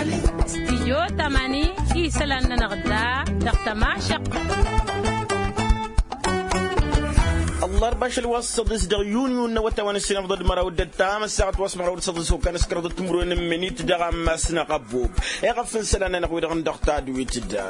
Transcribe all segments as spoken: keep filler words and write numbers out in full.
Stijyo tamani isălan-nănăɣ da dăɣ-tămašăɣt. Ăllarba ašăl wa s-săḍis dăɣ-yuniyun n-awătawăn s-inăfḍăd măraw d-ăttam ăssaɣăt wa s-măraw d-săḍis okăn s-kărăḍăt timǝrwen n-imǝnit dăɣ-ammas-năɣ ăbbob. Iɣăf n-isălan-nănăɣ wi-dăɣ n-dăɣ tadwit da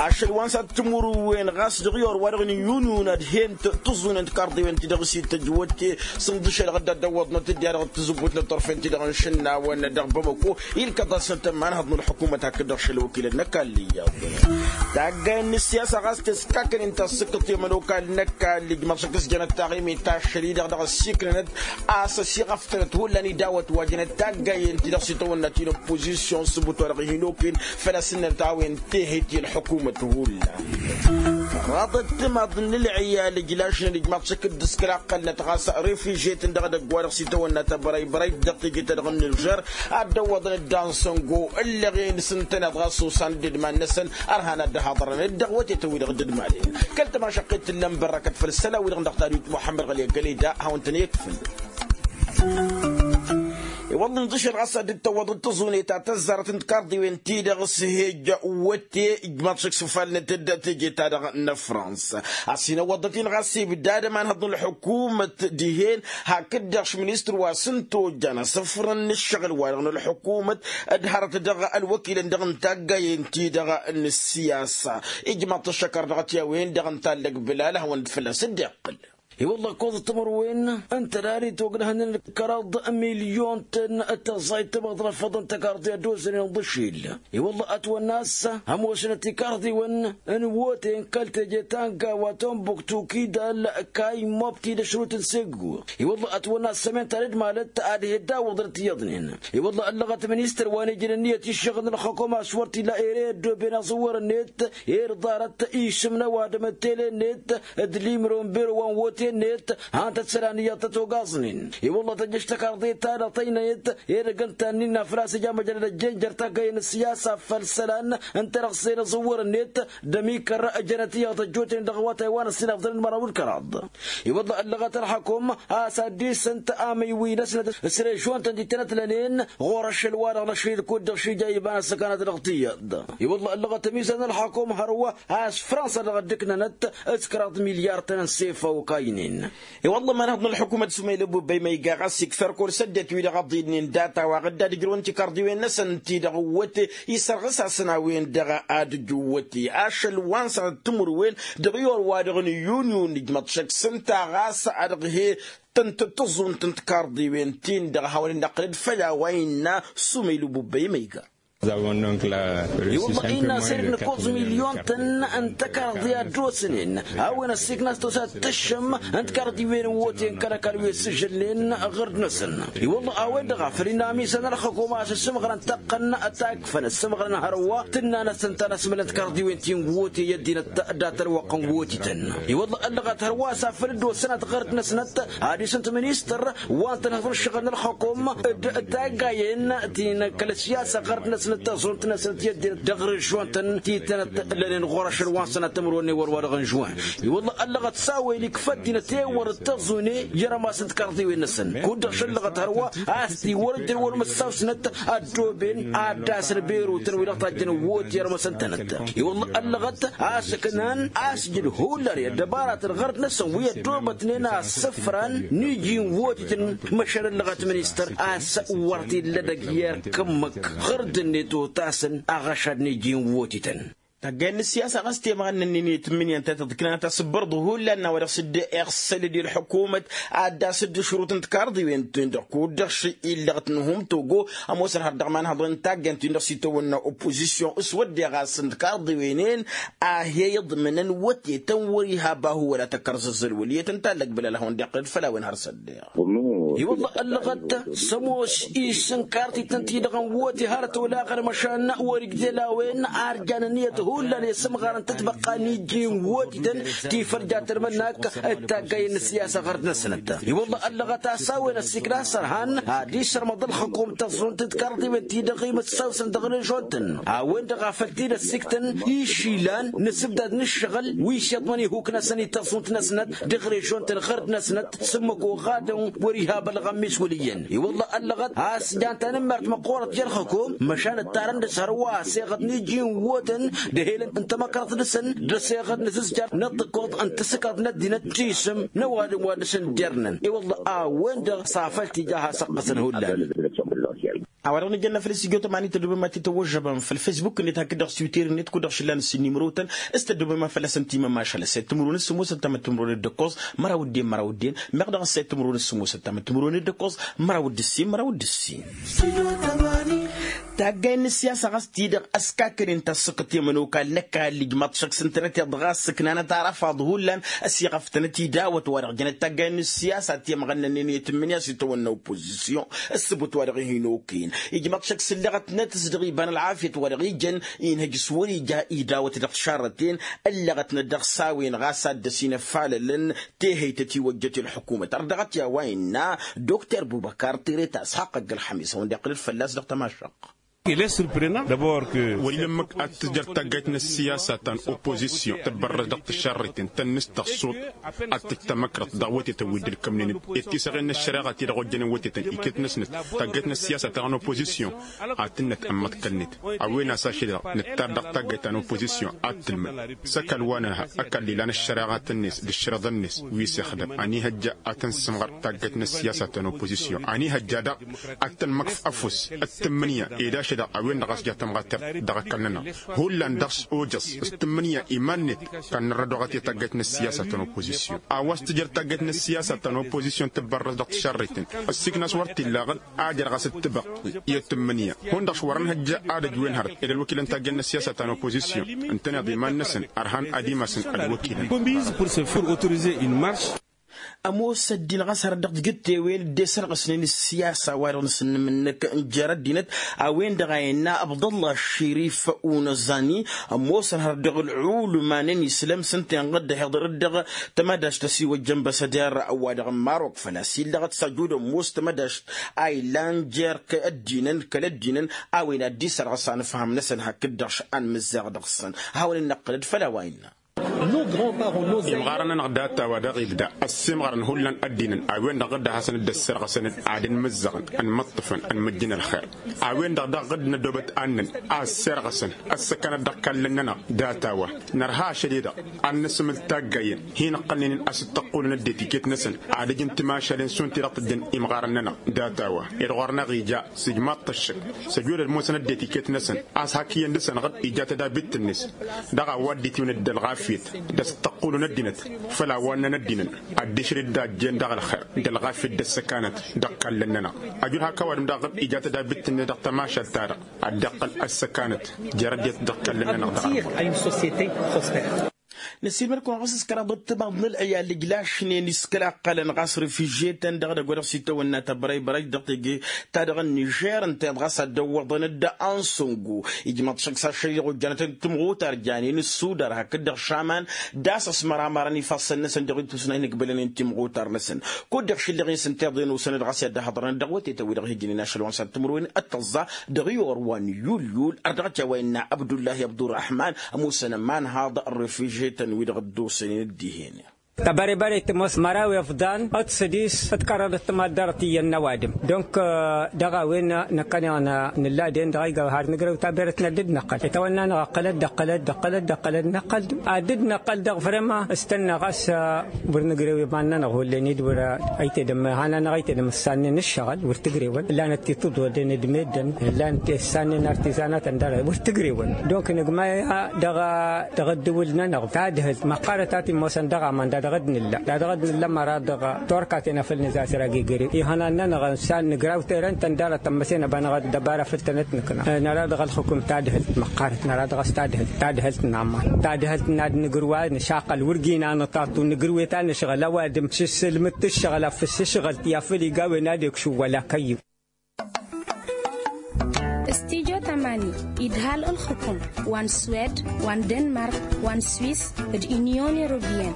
ašăl wa n-săḍ timǝrwen ɣas dăɣ-i or wa dăɣ-nǝyyunyun ad-hen tǝẓẓunen tikarḍiwen-ti-dăɣ s-ităjj wătte. Sǝnḍǝšel ɣǝdda dd-ăwwăḍnăt dd-i-ad-dăɣ tǝzǝbbutnăt turfen-ti-dăɣ n-išǝnnawăn dăɣ-bamăko ilkăḍ-asnăt ămanhăḍ n-ălḥukumăt hakd-dăɣ šăl wăkilăn n-ăkall iyyăḍ. Taggayen n-ǝssiyasa ɣas teskaknen tasǝkkǝḍt i-ămănokal n-ăkall ijmăḍ šăkk s-jănăt taɣimit ašăl-i-dăɣ dăɣ-ăssiiknănăt a-s ăsiɣăftănăt hullan idawăt wa jănăt taggayen-ti-dăɣ s-itawănna ti n-ăppozisyon s-ǝbut wa dăɣ-hin-okăyăn. Făl-a-s ǝnnănăt a-wen tehet i-ălḥukumăt hullan. Raḍăt timaḍ n-ǝlɣiyal ǝjlašnen ijmaḍ šăkk dd-ǝskălaqqălnăt ɣas refižyetăn dăɣ-edăgg wa dăɣ-s itawănna tăbrăybrăyt dăɣ-teje-ta-dăɣ n-nǝlžăr. Ad-dd-ăwwăḍăn dd-ansăngo ǝllăɣen s-ǝntăneḍ ɣas osan dd-idman-năsăn. Ărhan ad-dd-haḍărăn dd-dăɣ wătetăn-wi-dăɣ dd-idmaden kăl-tămašăqqet tǝllăn bărrăkăt făll-isălan-wi-dăɣ dăɣ-tadwit muḥămmăd ɣăli ăggăleda a hawăn-tăn-ikfǝl. I-wălla ǝnḍǝšăl ɣas ad-dd-tăwwăḍăt tăẓune ta tăzzarăt n-tikarḍiwen-ti-dăɣ s-hejja wătte ijmaḍ šăkk s-ufalnăt-dd teje-ta-dăɣ n-afrans. A-s hin-ăwwăḍăt-in ɣas ibdad ămanhăḍ n-ălḥukumăt dihen hakd-dăɣ š-ministăr wa s-ǝnta ojjan asǝfrăn n-ǝššăɣǝl-wa-dăɣ n-ălḥukumăt d-hărăt dăɣ-ălwăkilăn-dăɣ n-taggayen-ti-dăɣ n-ǝssiyasa. Ijmaḍ-t ăššăkăr dăɣ-t i-a-wen-dăɣ ǝnta ăllăg bǝlal a hawăn-dd fălla-s dd-iqqǝl. I-wălla ăkkoẓăt timǝrwen ǝnta dali togdăhăn n-kăraḍ milyon-tăn d-tăẓẓayt tămaḍrăfăḍ n-tăkarḍi ad-dd-osănen ḍǝšil. I-wălla ătwănna a-s ămoosnăt tikarḍiwăn n-iwote n-kăl-teje ta n-gawa tombuktu kidal kayy mobti d-ašrut n-seggu. I-wălla ătwănna a-s sămen-ta d-malăt ad-he-dd-awǝḍnăt iyyăḍnen. I-wălla ăllăɣăt ministăr wa n-ijăn ǝnniyăt iššăɣǝl n-ălxăkom a-s wăr t-illa ere ăddooben aẓǝwwăr-net. Ed ḍarăt isǝm n-ăwadǝm d-tele-net d-limro n-bero wa n-wote-net. Han-tăt isălan iyyăḍ tăt-ogaẓnen. I-wălla tăjjăš tăkarḍe-ta-dăɣ tăynăyăt edăgg ǝnta ǝnnin afras ija măjrăd ăjjeenjăr taggayen n-ǝssiyasa făll-isălan n-tărăɣse n-aẓǝwwăr-net. D-ămikăr jănăt iyyăḍ ăjjootnen dăɣ-awătay wa n-ăssinafḍănen măraw d-kăraḍ. I-wălla ăllăɣăt ălxăkom a-s ad-dd-isǝnt amǝywi-năsnăt s-režion-tăn ti tănăt lănen ɣur-ašăl-wa-dăɣ n-ašăl ilkud-dăɣ šija iba n-asăkanăt dăɣ-tiyyăḍ. I-wălla ăllăɣăt ămizan ălxăkom hărwa a-s fransa-dăɣ dd-ǝknănăt s-kăraḍ milyar-tăn n-sefa okaynen. I-wălla ămanhăḍ n-ălḥukumăt s-umăylăbu băymăyga ɣas ikfăr kăwăl săddetăt-wi-dăɣ ăḍilnen data-wa-dăɣ dd-ad-ǝjrǝwăn tikarḍiwen-năsăn ti-dăɣ ǝwwăte isărɣǝs-asăn a-wen-dăɣ ad-ǝjǝwwăte ašăl wa n-sănăt timǝrwen dăɣ-i or-wa-dăɣ n-iyyunyun ijmăḍ šăkk s-ǝnta ɣas ad-dăɣ-he-tăn tăẓẓunt n-tikarḍiwen-tin-dăɣ a hawăn-dd-năqqǝlăd făll-a-wa innă. S-umăylăbu băymăyga. I-wălla innă a-s erk nǝkkoẓ milyon-tăn n-tăkarḍi ad-dd-osnen a-wen ăssiikna a-s tosa d-tǝššǝm n-tikarḍiwen n-iwote n-kăl-ăkall wi ăssižălnen ɣǝrd-năsăn. I-wălla a-wen-dăɣ a făl innă ămisan ălxăkom a-s ǝssǝmɣărăn taqqăn ta ikfăn ǝssǝmɣărăn hărwa tǝnna-năsăn ta n-asmălăn tikarḍiwen ti n-iwote i-ăddinăt dat-ălwăqq n-iwotităn. I-wălla ăllăɣăt hărwa a-s afăl dd-osănăt ɣǝrd-năsnăt ad-isǝnt ministăr wa n-tănhăḍ n-ǝššăɣǝl n-ălxăkom d-taggayen ti n-kăl-ăssiyasa ɣărd-năsnăt tăẓẓunt-năsnăt i-ăddinăt dăɣ-režion-tăn ti tănăt lănen ɣur-ašăl wa n-sănăt timǝrwen ewăr wa dăɣ-n žuwen. I-wălla ăllăɣăt s-a-wen ikfă ăddinăt ewăr d-tăẓẓune i-rămas n-tikarḍiwen-năsăn kud-dăɣ šăllăɣăt hărwa a-s tiwăr ǝjrăwăn măssaw-snăt ăddooben ad-dd-asăn berotăn wi-dăɣ tajjăn ăwwot i-ărmăsăn-tănăt. I-wălla ăllăɣăt a-s ǝknan asjǝd hullan i-ăddăbaratăn ɣărd-năsăn wi ăddoobătnen asǝfran n-iji n-iwotităn. Măšan ăllăɣăt ministăr a-s wăr t-illa edăgg i-erk ǝmmǝk ɣǝrd-net otasăn aɣăšad n-iji n-iwotităn. Taggayen n-ǝssiyasa ɣas temɣănna-nin i-tǝmmǝnǝyăn ta tăḍkǝnanăt asǝbbărḍu hullan n-a-wa dăɣ-s dd-iɣsălăd i-ălḥukumăt ad-dd-asǝdd ašrut n-tikarḍiwen-tin-dăɣ kud-dăɣ š-illăɣ-t n-hum togo. Ămoosăn har dăɣ-imanhăḍen n-taggayen-tin-dăɣ s-itawănna oppozisyon s-wădden ɣas n-tikarḍiwen-en a he-iḍmǝnăn wătetăn wăr-iha bahu wăla tăkkăr zăzzăl wăl' iyyăt n-tallăg bălal a hawăn-dd-iqqǝlăd făll-a-wen har s-ăddeɣ. I-wălla ăllăɣăt s-ămoos isǝn kartităn-ti-dăɣ n-wăte hărăt olaɣăn măšan wăr-igdel a-wen ar jan ǝnniyăt hullan i-sǝmɣarăn tǝtbăqqa n-iji n-wătităn ti făll-jatăl mănnak d-taggayen n-ǝssiyasa ɣărd-năsnăt. I-wălla ăllăɣăt a-s a-wen ăssiikna s-ărhan ad-isărmăḍ ălxăkom tăẓẓunt d-karḍiwen-ti-dăɣ imǝssawsăn dăɣ-režon-tăn a-wen-dăɣ a făl t-dd-ăssiktăn išilan n-asǝbdad n-ǝššăɣǝl wi s-iḍmăn ihuk-năsăn i-tăẓẓunt-năsnăt dăɣ-režon-tăn ɣărd-năsnăt s-ǝmmǝk oɣadăn wăr-iha. ălɣămmis wăl' iyyăn i-wălla ăllăɣăt a-s jan tanǝmmert măqqoorăt i-ălxǝkum măšan ǝttarăn dăɣ-s hărwa ăseɣăt n-iji n-iwwotăn d-ehel n-tamăkrăḍt dăɣ-săn d-ăseɣăt n-asǝzjar n-ăṭṭǝkkoḍ n-tasǝkkaḍt n-ăddinăt. Tisǝm n-ăwadǝm wa dăɣ-săn dd-irnăn i-wălla a-wen-dăɣ s-afăl tija a has-ăqqăsăn hullan. A-wa-dăɣ nǝjănna făll-s ijot ămani tăddobem ad-t-tăwwăžžăbăm făll-fesbuk-net hakd-dăɣ s-twitter-net kud-dăɣ šǝllan ǝssin n-imrotăn s-tăddobem a fălla-săn timămašal ăssayăt timǝrwen s-sǝmmosăt tamăt timǝrwen d-ǝkkoẓ măraw d-en măraw d-en meɣ dăɣ-ăssayăt timǝrwen s-sǝmmosăt tamăt timǝrwen d-ǝkkoẓ măraw d-ǝssin măraw d-ǝssin. Taggayen n-ǝssiyasa ɣas-t-i-dăɣ ăskakănen tasǝkǝt i-ămănokal n-ăkall ijmaḍ šăkk s-ǝntănăt i-dăɣ ɣas sǝknanăt arăfaḍ hullan ăsiɣăftănăt idawăt wa-dăɣ jănăt taggayen n-ǝssiyasa ti-ămɣănnănen i-tǝmmǝnǝya s-itawănna oppozisyon. Ăssǝbut wa-dăɣ ih'-in okăyăn ijmaḍ šăkk s-ǝlleɣătnăt s-dăɣ-iba n-ălɣafyăt wa-dăɣ ijăn inhăj s-wăr-ija idawăt dăɣ-tišarrăten. Ǝlleɣătnăt dăɣ-s a-wen ɣas ad-dăr-s inăfalălăn tehăytăt iwăjjăt i-ălḥukumăt ardăɣăt i-a-wa innă dr bubăkar tireta s-haqq ăgg-ălxămis a-wen-dd-iqqǝl-dd fălla-s dăɣ-tamašăɣt. Wăr-ila ǝmmǝk ad-tǝjăr taggayt n-ăssiyasa ta n-oppozisyon tǝbbărrăs dăɣ-tišarriten tănnǝstăɣ suḍ ad-tǝjj tamăkrăḍt dăɣ-wătetăn wi dd-ǝlkămnen d-tisăɣen n-ăššăreɣa ti-dăɣ ojjănen wătetăn iket-năsnăt. Taggayt n-ăssiyasa ta n-oppozisyon ad-tǝnnăt ămmăḍkălnet a-wen a-s ašăl-i-dăɣ nǝttar dăɣ-taggayt ta n-oppozisyon ad-tǝlmǝd s-ăkall wa n-ehăr ăkall ilan ăššăreɣa-tăn-net d-ǝššărăḍăn-net wi s-ixdăm ănihăjja ad-tăn-sǝmɣăr taggayt n-ăssiyasa ta n-oppozisyon ănihăjja daɣ ad-tăn-măkf ăfuss d-tǝmmǝnǝya ed ašăl-i-dăɣ a-wen-dăɣ a-s ja tămɣatert dăɣ-ăkall-nănăɣ. Hullan dăɣ-s ojăẓ s-tǝmmǝnǝya iman-net kannărra doɣăt i-taggayt n-ăssiyasa ta n-oppozisyon a-wa s-tǝjăr taggayt n-ăssiyasa ta n-oppozisyon tǝbbărrăs dăɣ-tišărriten. Ăssiiknas wăr t-illa aɣǝd ad-irɣas d-tibăɣt i-tǝmmǝnǝya hundăɣ-s wăr-ănhăjj ad-ăj wen hărăt ed ălwăkilăn taggayt n-ăssiyasa ta n-oppozisyon ǝntăneḍ iman-năsăn ărhan ad-imasăn ălwăkilăn. Ămoos ăddin ɣas hărăt dăɣ-tijǝt tewel dd-esărɣǝsnen ǝssiyasa wa-dăɣ n-asǝnnǝm-năk n-jer-ăddinăt a-wen-dăɣ a innă abdăllah širif unăẓani. Ămoosăn hărăt dăɣ-ălɣulǝma n-ănislăm s-ǝnta inɣăd ăhiḍărăt dăɣ-tămădašt ăsiwăjjăn băsăder wa-dăɣ n-marok făl-a-s illăɣăt s-ajud ămoos tămădašt a ilan jer-kăl-ăddinăn kăl-ăddinăn a-wen ad-dd-isărɣǝs anǝfham-năsăn hakd-dăɣ šănn mǝzzeɣ dăɣ-săn. Hawăn-in-năqqǝlăd făll-a-wa innă. Imɣarăn-nănăɣ data-wa daɣ ibda ăssiimɣărăn hullan ăddinăn a-wen-dăɣ dd-ad-hasăn dd-ăssărɣăsăn ad-ănmǝzzăɣăn ănmăṭṭăfăn ănmăjjăn ălxer. A-wen-dăɣ daɣ dd-nădobăt annăn a ăssirɣăsăn ăssăkanăt dăɣ-ikallăn-nănăɣ. Data-wa nărha ašăl-i-dăɣ ad-nǝsǝmǝl taggayen hin-ǝqqălnen a-s dd-tăqqulăn ăddinăt iket-năsăn ad-ǝjǝn timašalen šund ti-dăɣ tǝjjăn imɣarăn-nănăɣ. Data-wa ed ɣur-năɣ ija s-ijmaḍ-t ăššăk s-ăjudăd ămoosăn ăddinăt iket-năsăn a-s hak iyyăn dăr-săn ɣǝd ija tădabit-net dăɣ-a-wa dd-itiwǝnăt d-ălɣafyăt d-a-s dd-tăqqulăn ăddinăt. Făll-a-wa ǝnnăn ăddinăt ad-dd-išrǝd d-a ăjjeen dăɣ-ălxer d-ălɣafyăt d-ăssăkanăt dăɣ-ikallăn-nănăɣ. Ăjud hak ăwadǝm daɣ ɣǝd ija tădabit-net dăɣ-tămašalt-ta-dăɣ ad-dd-iqqăl ăssăkanăt jer-ăddinăt dăɣ-ikallăn-nănăɣ dăɣ-ălxer. Năsiilmăd-kăwăn ɣas s-kăraḍăt timaḍ n-ălɣiyal ǝjlašnen iskălaqqălăn ɣas refižyetăn dăɣ-edăgg wa dăɣ-s itawănna tăbrăybărăj dăɣ-teje-ta-dăɣ n-nižer ǝnta-i-dăɣ ɣas ad-dd-ăwwăḍăn-dd ansăngu. Ijmăḍ šăkk s-ašăl-i-dăɣ ojjanăt n-timɣutar janen ǝssudar hakd-dăɣ šaman d-a-s ăsmăramarăn ifassăn-năsăn dăɣ-itusna hin-ǝkbǝlăn n-timɣutar-năsăn. Kud-dăɣ šǝllăɣ-in s-ǝnta-i-dăɣ ănusăn-dd ɣas i-ad-dd-ăhhăḍărăn dăɣ-wătetăn wi-dăɣ hi-ǝjnen ašăl wa n-săn timǝrwen d-tăẓẓa dăɣ-iyor wa n-iyyulyul ărdăɣăt i-a-wa innă abdullahi abdurrahman ămoosăn ămanhaḍ n-refižyetăn wi-dăɣ dd-osănen dd-ihen. Tăbărebăre tămoos măraw iḍan d-sădis d-kăraḍăt timaḍ ḍarăt iyyăn n-ăwadǝm. Donc dăɣ-a-wen năkkăneɣ nǝlla den dăɣ-a iga har nǝgrăw taberet n-ad-dd-năqqăl itawănna-năɣ ăqqălăt d-ăqqălăt d-ăqqălăt d-ăqqălăt năqqăl-dd ad-dd-năqqăl dăɣ-vrema s-tănna ɣas wăr nǝgrăw iman-nănăɣ hullen-dd wăr ăytedăm hanăn-năɣ ăytedăm ǝssannen ǝššăɣǝl wăr t-ǝgrewăn ǝllanăt ti tǝḍodden d-meddǝn ǝllanăt ti ǝssannen artizanatăn dăr-e wăr t-ǝgrewăn. Donc nǝgmay dăɣ-ăddǝwǝl-nănăɣ tadhǝlt măqqarăt a t-immosăn dăɣ-aman da dăɣ-dd-nǝlla da dăɣ-dd-nǝlla măra dăɣ-torkaten a făl nǝzazăr agegărew ihănan-nănăɣ n-san nǝgraw terăn-tăn dd-arăt tămmăsen ăba năɣ-dd-ăbara făll-tănăt-nǝkna. Năra dăɣ-ălxǝkǝm tadhǝlt măqqarăt năra dăɣ-s tadhǝlt tadhǝlt n-aman tadhǝlt n-ad-nǝgrǝw a nǝšaqăl wăr gina nǝṭaṭu nǝgrǝw i-ta nǝšɣăl ăwadǝm s-ǝssǝlmǝd-t ǝššăɣǝl afǝs ǝšɣăl-t i-ad-a făl iga a-wen ad-ekšǝw wăla kăyy-iw. Studyo tamani idhal ǝlxǝkum wa n-swed wa n-denmark wa n-swis d-inyon europeyăn.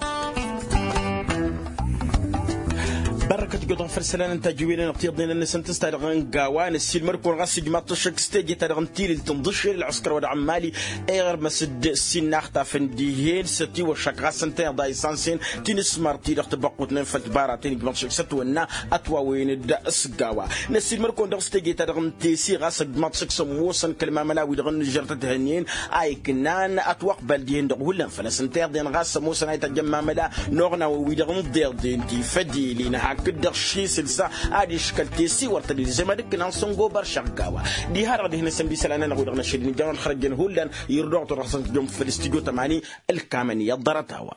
Ărrăkăt găḍăn făll-isălan n-tajǝwilăn tiḍnen n-asǝntǝs ta dăɣ-n gawa n-ăssiilmăr-kăwăn ɣas ǝjmaḍ-t ăššăk s-teje ta dăɣ-n tilǝlt n-ḍǝššel ălɣăskăr wa dăɣ-n mali. Iɣrǝm a-s dd-sinnaɣ tafăn dihen s-ătiwăššak ɣas ǝntăneḍ a isansen ti n-asmăr-ti-dăɣ tăbăqqutnen făll-tibaraten ǝjmaḍ-t ăššăk s-ătwănna ătwawăyăn-dd s-gawa. N-ăssiilmăr-kăwăn dăɣ-s teje ta dăɣ-n tesi ɣas ăjmaḍ-t ăššăk s-ămoosăn kăl-mamăla-wi-dăɣ n-inǝžžăr tăt-hănnen a iknan ătwăqbal dihen-dăɣ hullan făl-a-s ǝnta iḍen ɣas ămoosăn a itajjăn mamăla n-oɣnawăn-wi-dăɣ n-iḍeḍen ti fădilin hakd-dăɣ šisǝlsa. Ad-iškăl tesiwăr tădilzem ad-ǝkkǝn a n-săngobar šăɣ gawa. Diha-dăɣ dihen-asăn d-isălan-nănăɣ-wi-dăɣ n-ašăl n-ijawăn xărăjăn hullan. Irduɣ-tăɣ dăɣ-săn tǝjjăm făll-studyo tămani ǝlkamăn iyyăḍ ḍarăt-a-wa.